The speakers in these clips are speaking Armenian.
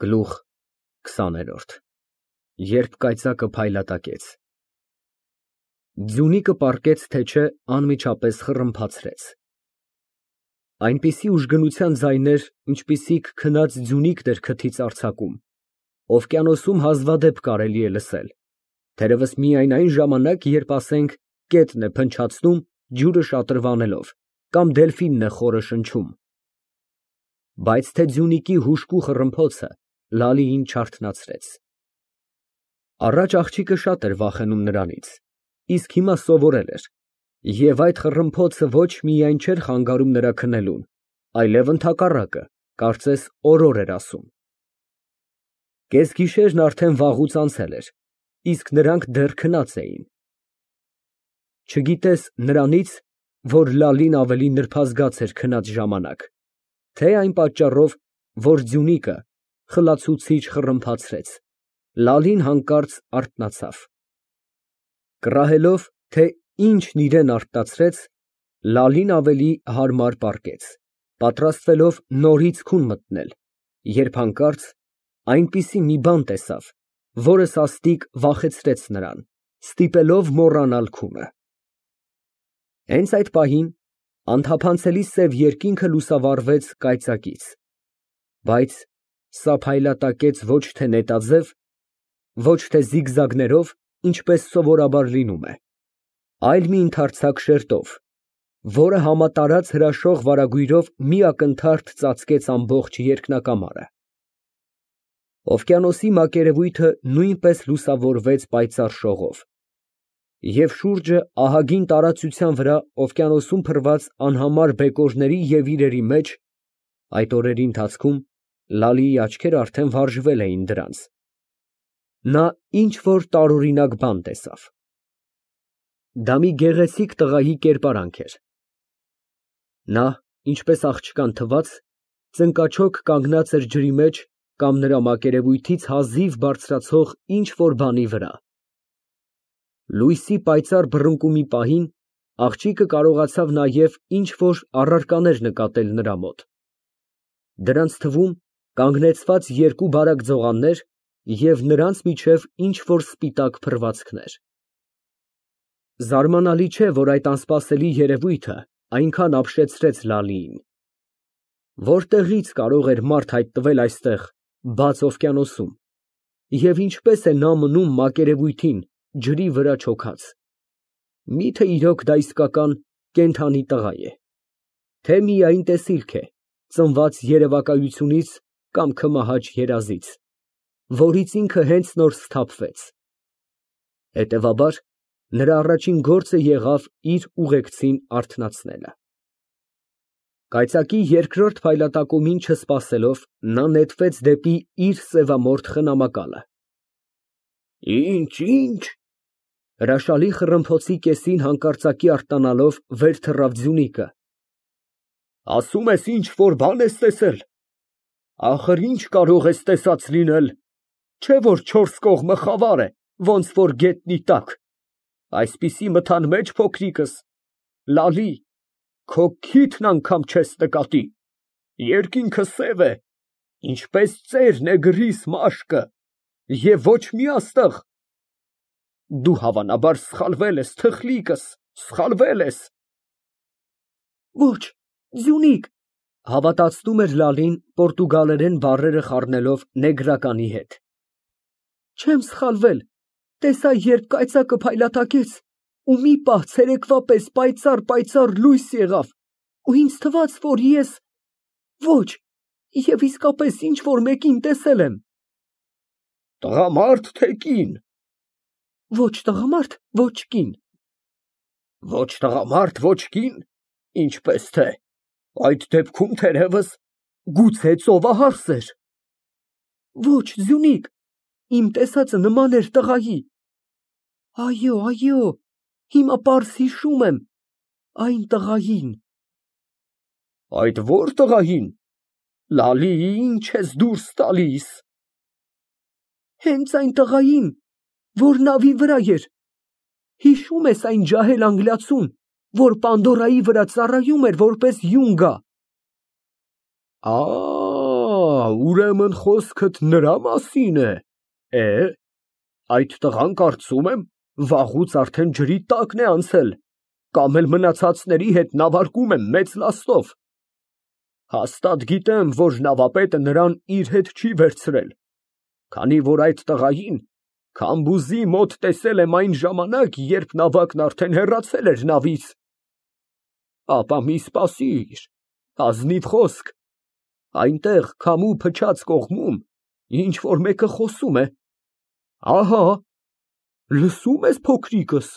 Գլուխ 20-րդ Երբ կայծակը փայլատակեց Ձյունիկը պառկեց, թե չէ անմիջապես խռմփացրեց։ Այնպիսի ուժգնության ձայներ, ինչպիսիք քնած ձյունիկն էր քթից արձակում, օվկիանոսում հազվադեպ կարելի է լսել, թերևս միայն այն ժամանակ, երբ, ասենք, կետն է փնչացնում, ջուրը շատրվանելով, կամ դելֆինն է խորը շնչում։ Բայց թե ձյունիկի հուժկու խռմփոցը Լալիին չարթնացրեց։ Առաջ աղջիկը շատ էր վախենում նրանից, իսկ հիմա սովորել էր, և այդ խռմփոցը ոչ միայն չէր խանգարում նրա քնելուն, այլև ընդհակառակը, կարծես օրոր էր ասում։ Կեսգիշերն արդեն վաղուց անցել էր, իսկ նրանք դեռ քնած էին։ Չգիտես նրանից, որ Լալին ավելի նրբազգաց էր քնած ժամանակ, թե այն պատճառով, որ ձյունիկը խլացուցիչ խռմփացրեց, Լալին հանկարծ արթնացավ։ Կռահելով, թե ինչն իրան արթնացրեց, Լալին ավելի հարմար պառկեց, պատրաստվելով նորից քուն մտնել, երբ հանկարծ այնպիսի մի բան տեսավ, որը սաստիկ վախեցրեց նրան, ստիպելով մոռանալ քունը։ Հենց այդ պահին անթափանցելի սև երկինքը լուսավառվեց կայծակից, բայց սա փայլատակեց ոչ թե նետաձև, ոչ թե զիգզագներով, ինչպես սովորաբար լինում է, այլ մի ընդարձակ շերտով, որը համատարած հրաշող վարագույրով մի ակնթարթ ծածկեց ամբողջ երկնակամարը։ Օվկիանոսի մակերևույթը նույնպես լուսավորվեց պայծառ շողով, և շուրջը ահագին տարածության վրա օվկիանոսում փռված անհամար բեկորների և իրերի մեջ, այդ օրերի ընթացքում Լալիի աչքերը արդեն վարժվել էին դրանց, նա ինչ֊որ տարօրինակ բան տեսավ։ Դա մի գեղեցիկ տղայի կերպարանք էր։ Նա, ինչպես աղջկան թվաց, ծնկաչոք կանգնած էր ջրի մեջ կամ նրա մակերևույթից հազիվ բարձրացող ինչ֊որ բանի վրա։ Լույսի պայծառ բռնկումի պահին աղջիկը կարողացավ նաև ինչ֊որ առարկաներ նկատել նրա մոտ։ Դրանց թվում կանգնեցված երկու բարակ ձողաններ և նրանց միջև ինչ֊որ սպիտակ փռվածքներ։ Զարմանալի չէ, որ այդ անսպասելի երևույթը այնքան ապշեցրեց Լալիին։ Որտեղի՞ց կարող էր մարդ հայտնվել այստեղ, բաց օվկիանոսում, և ինչպե՞ս է նա մնում մակերևույթին, ջրի վրա չոքած։ Մի՞թե իրոք դա իսկական կենդանի տղա է, թե միայն տեսիլք է, ծնված երևակայությունից կամ քմահաճ երազից, որից ինքը հենց նոր սթափվեց։ Հետևաբար, նրա առաջին գործը եղավ իր ուղեկցին արթնացնելը։ Կայծակի երկրորդ փայլատակումին չսպասելով, նա նետվեց դեպի իր սևամորթ խնամակալը։ Ինչ։ Հրաշալի խռմփոցի կեսին հանկարծակի արթնանալով վեր թռավ ձյունիկը։ Ասում ես ինչ֊որ բան ես տեսել։ Ախր ինչ կարող ես տեսած լինել, չէ՞ որ չորս կողմը խավար է, ոնց որ գետնի տակ։ Այսպիսի մթան մեջ, փոքրիկս, Լալի, քո քիթն անգամ չես նկատի, երկինքը սև է, ինչպես ծերն է գրիս մաշկը, և ոչ մի աստղ։ Դու հավանաբար սխալվել ես, թխլիկս, սխալվել ես։ Ոչ, ձյունիկ, հավատացնում էր Լալին պորտուգալերեն բառերը խառնելով նեգրականի հետ։ Չեմ սխալվել, տեսա, երբ կայծակը փայլատակեց, ու մի պահ ցերեկվա պես պայծառ լույս եղավ, ու ինձ թվաց, որ ես… Ոչ, և իսկապես ինչ֊որ մեկին տեսել եմ։ Տղամարդ, թե կին։ Ոչ տղամարդ, ոչ կին։ Ոչ տղամարդ, ոչ կին, ինչպես թե, այդ դեպքում թերևս, գուցե ծովահարս էր։ Ոչ, ձյունիկ, իմ տեսածը նման էր տղայի։ Այո, հիմա պարզ հիշում եմ, այն տղային։ Այդ ո՞ր տղային, Լալի, ինչ ես դուրս տալիս։ Հենց այն տղային, որ նավի վրա էր։ Հիշո՞ւմ ես այն ջահել անգլիացուն, որ Պանդորայի վրա ծառայում էր որպես յունգա։ ուրեմն խոսքդ նրա մասին է։ Այդ տղան կարծում եմ վաղուց արդեն ջրի տակն է անցել, կամ էլ մնացածների հետ նավարկում է մեծ լաստով։ Հաստատ գիտեմ, որ նավապետը նրան իր հետ չի վերցրել, քանի որ այդ տղային Քամբուզի մոտ տեսել եմ այն ժամանակ, երբ նավակն արդեն հեռացել էր նավից։ Ապա մի սպասիր, ազնիվ խոսք, այնտեղ քամու փչած կողմում ինչ որ մեկը խոսում է։ Ահա, լսո՞ւմ ես, փոքրիկս։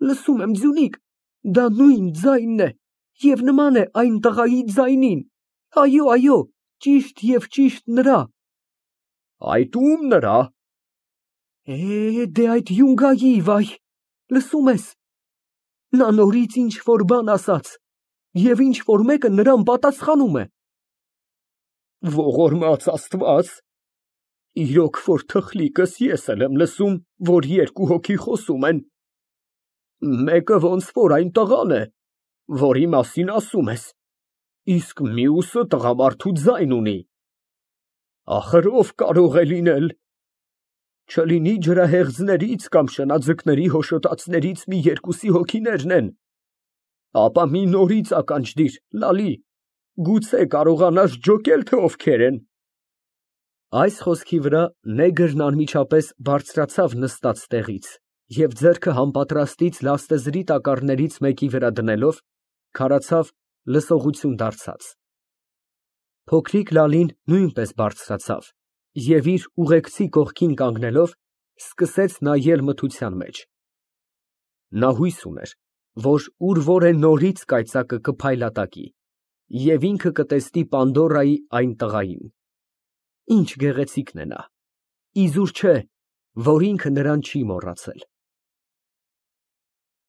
Լսում եմ, ձյունիկ, դա նույն ձայնն է և նման է այն տղայի ձայնին։ Այո, ճիշտ և ճիշտ նրա։ Այդ ո՞ւմ նրա։ Դե այդ յունգայի, վայ, լսում ես։ Նա նորից ինչ որ բան ասաց, և ինչ որ մեկը նրան պատասխանում է։ Ողորմած Աստված, իրոք որ թխլիկս ես էլ եմ լսում, որ երկու հոգի խոսում են։ Մեկը ոնց որ այն տղան է, որի մասին ասում ես, իսկ մյուսը տղամարդու ձայն ունի։ Ախր ով կարող է լինել։ Չլինի ջրահեղձներից կամ շնաձկների հոշոտածներից մի երկուսի հոգիներն են։ Ապա մի նորից ականջ դիր, լալի, գուցե կարողանաս ջոկել, թե ովքեր են։ Այս խոսքի վրա նեգրն անմիջապես բարձրացավ նստած տեղից և ձեռքը համապատրաստից լաստեզրի տակառներից մեկի վրա դնելով, քարացավ լսողություն դարձած։ Փոքրիկ Լալին նույնպես բարձրացավ և իր ուղեկցի կողքին կանգնելով սկսեց նայել մթության մեջ։ Նա հույս ուներ, որ ուր որ է նորից կայծակը կփայլատակի, և ինքը կտեսնի Պանդորայի այն տղային։ Ինչ գեղեցիկն է նա, իզուր չէ, որ ինքը նրան չի մոռացել։